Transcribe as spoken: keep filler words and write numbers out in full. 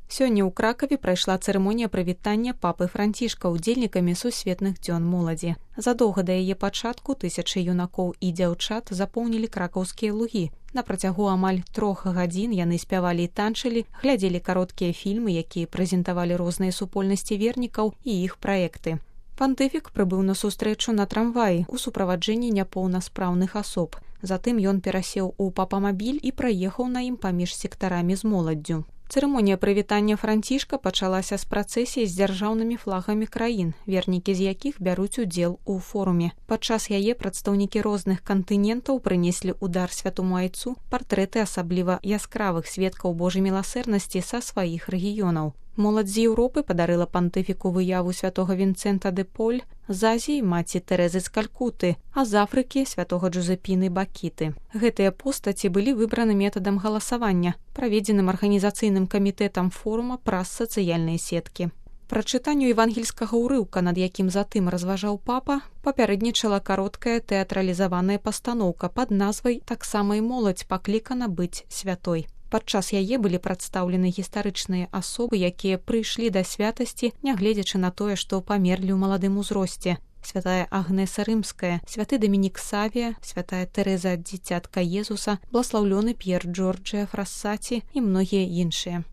Сёння ў Кракаве прайшла цырымонія прывітання папы Францішка удзельнікамі сусветных дзён моладзі. Задоўга да яе пачатку тысячы юнакоў і дзяўчат запоўнілі кракаўскія лугі. На працягу амаль трох гадзін яны спявалі і танчылі, глядзелі кароткія фільмы, якія прэзентавалі розныя супольнасці вернікаў і іх праекты. Пантыфік прыбыў на сустрэчу на трамваі ў суправаджэнні няпоўнаспраўных асоб. Затым ён перасеў у папамабіль і праехаў на ім паміж сектарамі з моладдзю. Цырымонія прывітання Францішка пачалася з працэсіі з дзяржаўнымі флагамі краін, вернікі з якіх бяруць удзел у форуме. Падчас яе прадстаўнікі розных кантынентаў прынеслі ў дар святому айцу партрэты асабліва яскравых сведкаў Божай міласэрнасці са сваіх рэгіёнаў. Моладзь з Еўропы падарыла пантыфіку выяву святога Вінцэнта де Поль, з Азіі маці Тэрэзы з Калькуты, а з Афрыкі святога Джузепіны Бакіты. Гэтыя постаці былі выбраны метадам галасавання, праведзеным арганізацыйным камітэтам форума праз сацыяльныя сеткі. Прачытанню евангельскага ўрыўка, над якім затым разважаў папа, папярэднічала кароткая тэатралізаваная пастаноўка пад назвай «Таксама і моладзь паклікана быць святой». Падчас яе былі прадстаўлены гістарычныя асобы, якія прыйшлі да святасці, нягледзячы на тое, што памерлі ў маладым узросце. Святая Агнеса Рымская, святы Дамінік Савія, святая Тэрэза дзіцятка Езуса, бласлаўлёны П'ер Джорджыя Фрассаці і многія іншыя.